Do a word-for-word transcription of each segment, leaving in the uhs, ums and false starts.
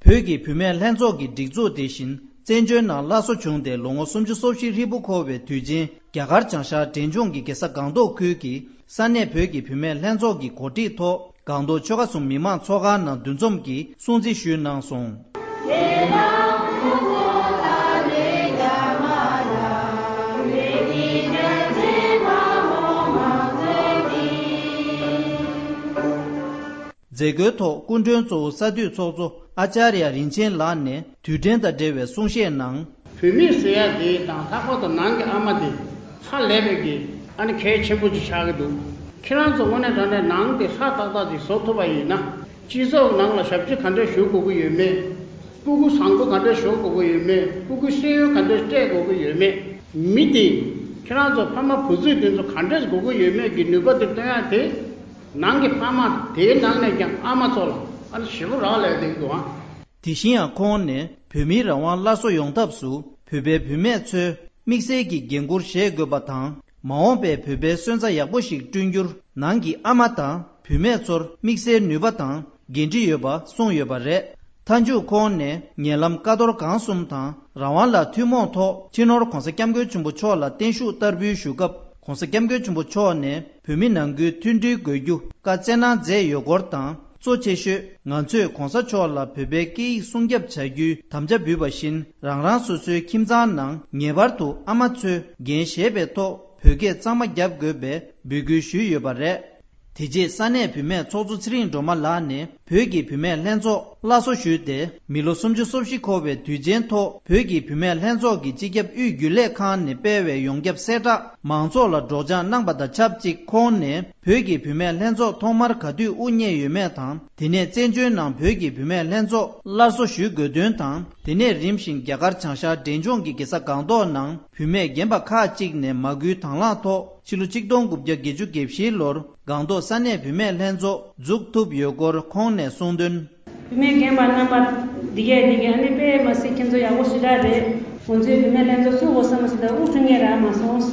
བོད་ཀྱི་བུད་མེད་ལྷན་ཚོགས་ཀྱི་སྒྲིག་འཛུགས་དེ་བཞིན་བཙན་བྱོལ་ནང་སླར་གསོ་བྱུང་སྟེ་ལོ་ངོ་སུམ་ཅུ་སོ་བཞི་ཧྲིལ་པོ་འཁོར་བའི་དུས་ཆེན། རྒྱ་གར་བྱང་ཤར་འབྲས་ལྗོངས་ཀྱི་རྒྱལ་ས་སྒང་ཏོག་ཁུལ་གྱི་ས་གནས་བོད་ཀྱི་བུད་མེད་ལྷན་ཚོགས་ཀྱི་གོ་སྒྲིག་ཐོག་སྒང་ཏོག་ཆོལ་ཁ་གསུམ་མི་མང་ཚོགས་ཁང་ནང་འདུ་འཛོམས་ཀྱིས་སྲུང་བརྩི་ཞུས་གནང་སོང་། མཛད་སྒོའི་ཐོག་སྐུ་མགྲོན་གཙོ་བོ་ས་འཐུས་ཚོགས་གཙོ་ཨ་ཅཱརྱ་རིན་ཆེན་ལགས་ནས་དུས་དྲན་དང་འབྲེལ་བའི་གསུང་བཤད་ནང་། བུད་མེད་ཟེར་ཡ་དེ་དང་ལྷག་པར་དུ་ནང་གི་ཨ་མ་དེ་ཧ་ལས་པའི་གི་ཨ་ནི་གལ་ཆེན་པོ་ཅིག་ཆགས་ཀྱི་འདུག་ཁྱེད་རང་ཚོ་དངོས་གནས་དྲང་གནས་ནང་དེ་ལྷ་ཏག་ཏག་ཅིག་བཟོ་ཐུབ་པ་ཡིན་ན། སྤྱི་ཚོགས་ནང་ལ་ཞབས་ཕྱི་ག་འདྲས་ཞུ་དགོས་ཀྱི་ཡོད་མེད། སྤུ་གུ་བཟང་པོ་ག་འདྲས་ཞོག་དགོས་ཀྱི་ཡོད་མེད། སྤུ་གུ་ཤེས་ཡོན་ག་འདྲས་སྤྲད་དགོས་ཀྱི་ཡོད་མེད། མི་དེ་ཁྱེད་རང་ཚོ་ཕ་མ་བུ་བཙུན་དེ་ཚོ་ག་འདྲས་དགོས་ཀྱི་ཡོད་མེད་ཀྱི་ནུས་པ་དེ་སྟོན་ཡ་དེ། ནང་གི་ཕ་མ་དེའི་ནང་ནས་ཀྱང་ཨ་མ་ཚོ་ལ་ཨ་ནི་ཞེ་པོ་རག་ལས་བསྡད་ཀྱི་འདུག་ཨ། དེ་བཞིན་ཡང་ཁོང་ནས་བོད་མིའི་རང་དབང་སླར་གསོ་ཡོང་ཐབས་སུ་བོད་པའི་བུད་མེད་ཚོས་དམིགས་བསལ་གྱི་འགན་འཁུར་བཞེས་དགོས་པ་དང་། མ་འོངས་པའི་བོད་པའི་སོན་རྩ་ཡག་པོ་ཞིག་བསྐྲུན་རྒྱུར་ནང་གི་ཨ་མ་དང་བུད་མེད་ཚོར་དམིགས་བསལ་ནུས་པ་དང་འགན་འཁྲི་ཡོད་པ་གསུངས་ཡོད་པ་རེད། མཐའ་མཇུག་ཁོང་ནས་ཉེ་ལམ་ཀ་རྡོར་སྒང་གསུམ་དང་རང་དབང་ལ་ཐུན་མོང་ཐོག་སྤྱི་ནོར་༧གོང་ས་༧སྐྱབས་མགོན་ཆེན་པོ་མཆོག་ལ་བརྟན་བཞུགས་བསྟར་འབུལ་ཞུ་སྐབས། ༧གོང་ས་༧སྐྱབས་མགོན་ཆེན་པོ་མཆོག་ནས་བོད་མི་ནང་ཁུལ་མཐུན་སྒྲིལ་དགོས་རྒྱུ་བཀའ་སྩལ་གནང་མཛད་ཡོད་སྐོར་དང་། གཙོ་ཆེ་ཤོས་ང་ཚོས་༧གོང་ས་མཆོག་ལ་བོད་པའི་སྐད་ཡིག་སྲུང་སྐྱོབ་བྱ་རྒྱུའི་དམ་བཅའ་འབུལ་བ་བཞིན། རང་རང་སོ་སོའི་ཁྱིམ་ཚང་ནང་ངེས་པར་དུ་ཨ་མ་ཚོས་འགན་བཞེས་པའི་ཐོག་བོད་སྐད་གཙང་མ་རྒྱབ་དགོས་པའི་འབོད་སྐུལ་ཞུས་ཡོད་པ་རེད། དེ་རྗེས་ས་གནས་བུད་མེད་ཚོགས་གཙོ་ཚེ་རིང་སྒྲོལ་མ་ལགས་ནས་བོད་ཀྱི་བུད་མེད་ལྷན་ཚོགས་སླར་གསོ་ཞུས་ཏེ། མི་ལོ་སུམ་ཅུ་སོ་བཞི་འཁོར་བའི་དུས་ཆེན་ཐོག་བོད་ཀྱི་བུད་མེད་ལྷན་ཚོགས་ཀྱི་སྤྱི་ཁྱབ་དབུས་རྒྱུན་ལས་ཁང་ནས་སྤེལ་བའི་ཡོངས་ཁྱབ་གསལ་བསྒྲགས་མང་ཚོགས་ལ་སྒྲོག་སྦྱང་གནང་པ་དང་ཆབས་ཅིག་ཁོང་ནས་བོད་ཀྱི་བུད་མེད་ལྷན་ཚོགས་ཐོག་མར་ག་དུས་དབུ་བརྙེས་ཡོད་མེད་དང་། དེ་ནས་བཙན་བྱོལ་ནང་བོད་ཀྱི་བུད་མེད་ལྷན་ཚོགས་སླར་གསོ་ཞུ་དགོས་དོན་དང་། དེ་ནས་རིམ་བཞིན་རྒྱ་གར་བྱང་ཤར་འབྲས་ལྗོངས་ཀྱི་རྒྱལ་ས་སྒང་ཏོག་ནང་བུད་མེད་རྒན་པ་ཁག་ཅིག་ནས་མ་སྐུལ་དང་བླངས་ཐོག་ཕྱི་ལོ་ཆིག་སྟོང་དགུ་བརྒྱ་བརྒྱད་ཅུ་གྱ་བཞི་ལོར་སྒང་ཏོག་ས་གནས་བུད་མེད་ལྷན་ཚོགས་འཛུགས་ཐུབ་ཡོད་སྐོར་ཁོང་ནས་གསུངས་དོན། བུད་མེད་རྒན་པ་རྣམ་པ་འདི་གས་འདི་གས་ཨ་ནི་དཔེ་མ་སྲིད་ཁྱེད་ཚོ་ཡག་པོ་ཞེ་དྲག་རེད། ང་ཚོའི་བུད་མེད་ལྷན་ཚོགས་ཚུགས་དགོས་བསམ་མ་སོང་ད་དབུ་ཁྲུང་ངེ་རག་མ་སོང་།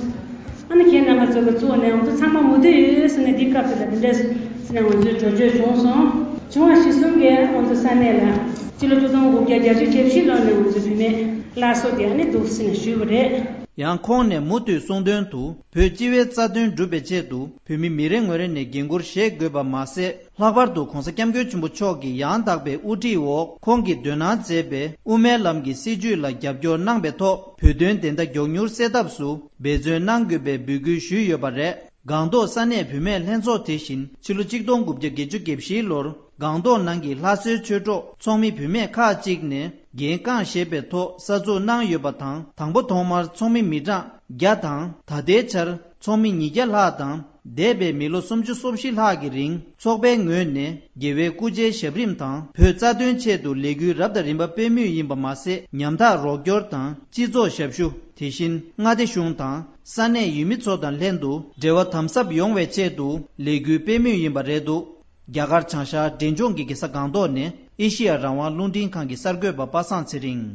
ཨ་ནི་ཁྱེད་རྣམ་པ་ཚོ་གི་གཙོ་བོ་ནས་ང་ཚོ་ཚང་མ་མུ་མཐུད་ཡོད་ཟེར་ནས་འདི་སྐབས་དེ་ལ་འདི་འདྲ་ཟེར་ནས་ང་ཚོའི་གྲོས་ཆོད་བྱུང་སོང་། བྱུང་བ་གཞི་གསུམ་གྱིས་ང་ཚོ་ས་གནས་ལ་སྤྱི་ལོ་ཆིག་སྟོང་དགུ་བརྒྱ་བརྒྱད་ཅུ་གྱ་བཞི་ལོ་ནས་ང་ཚོའི་བུད་མེད་སླར་གསོ་དེ་ཨ་ནི་འདུག་ཟེར་ནས་ཞུས་པ་རེད། ཡང་ཁོང་ནས་མུ་མཐུད་གསུངས་དོན་དུ། བོད་སྤྱི་བའི་རྩ་དོན་སྒྲུབ་པའི་ཆེད་དུ་བོད་མི་མི་རེ་ངོ་རེ་ནས་འགན་འཁུར་བཞེས་དགོས་པ་མ་ཟད། ལྷག་པར་དུ་༧གོང་ས་༧སྐྱབས་མགོན་ཆེན་པོ་མཆོག་གི་ཡང་དག་པའི་དབུ་ཁྲིད་འོག་ཁོང་གིས་འདོན་གནང་མཛད་པའི་དབུ་མའི་ལམ་གྱི་སྲིད་བྱུས་ལ་རྒྱབ་སྐྱོར་གནང་པའི་ཐོག་བོད་དོན་བདེན་མཐའ་མགྱོགས་མྱུར་སེལ་ཐབས་སུ་འབད་བརྩོན་གནང་དགོས་པའི་འབོད་སྐུལ་ཞུས་ཡོད་པ་རེད། སྒང་ཏོག་ས་གནས་བུད་མེད་ལྷན་ཚོགས་དེ་བཞིན་ཕྱི་ལོ་ཆིག་སྟོང་དགུ་བརྒྱ་བརྒྱད་ཅུ་གྱ་བཞི་ལོར་སྒང་ཏོག་ནང་གི་ལྷ་སའི་ཆོས་གྲོགས་ཚོགས་མི་བུད་མེད་ཁག་ཅིག་ནས་འགན་རྐང་བཞེས་པའི་ཐོག་གསར་འཛུགས་གནང་ཡོད་པ་དང་། དང་པོ་ཐོག་མར་ཚོགས་མི་མི་གྲངས་བརྒྱ་དང་། ད་ལྟའི་ཆར་ཚོགས་མི་ཉིས་བརྒྱ་ལྷག་དང་། འདས་པའི་མི་ལོ་སུམ་ཅུ་སོ་བཞི་ལྷག་གི་རིང་ཚོགས་པའི་ངོས་ནས་རྒྱལ་བའི་སྐུ་ཕྱྭའི་ཞབས་རིམ་དང་བོད་རྩ་དོན་ཆེད་དུ་ལས་འགུལ་རབ་དང་རིམ་པ་སྤེལ་མུས་ཡིན་པ་མ་ཟད། ཉམ་ཐག་རོགས་སྐྱོར་དང་སྤྱི་ཚོགས་ཞབས་ཞུ། དེ་བཞིན་མངའ་སྡེ་གཞུང་དང་ས་གནས་ཡུལ་མི་ཚོ་དང་ལྷན་དུ་འབྲེལ་བ་དམ་ཟབ་ཡོང་བའི་ཆེད་དུ་ལས་འགུལ་སྤེལ་མུས་ཡིན་པ་རེད་འདུག་རྒྱ་གར་བྱང་ཤར་འབྲས་ལྗོངས་ཀྱི་རྒྱལ་ས་སྒང་ཏོག་ནས་ཨེ་ཤི་ཡ་རང་དབང་རླུང་འཕྲིན་ཁང་གི་གསར་འགོད་པ་པ་སངས་ཚེ་རིང་།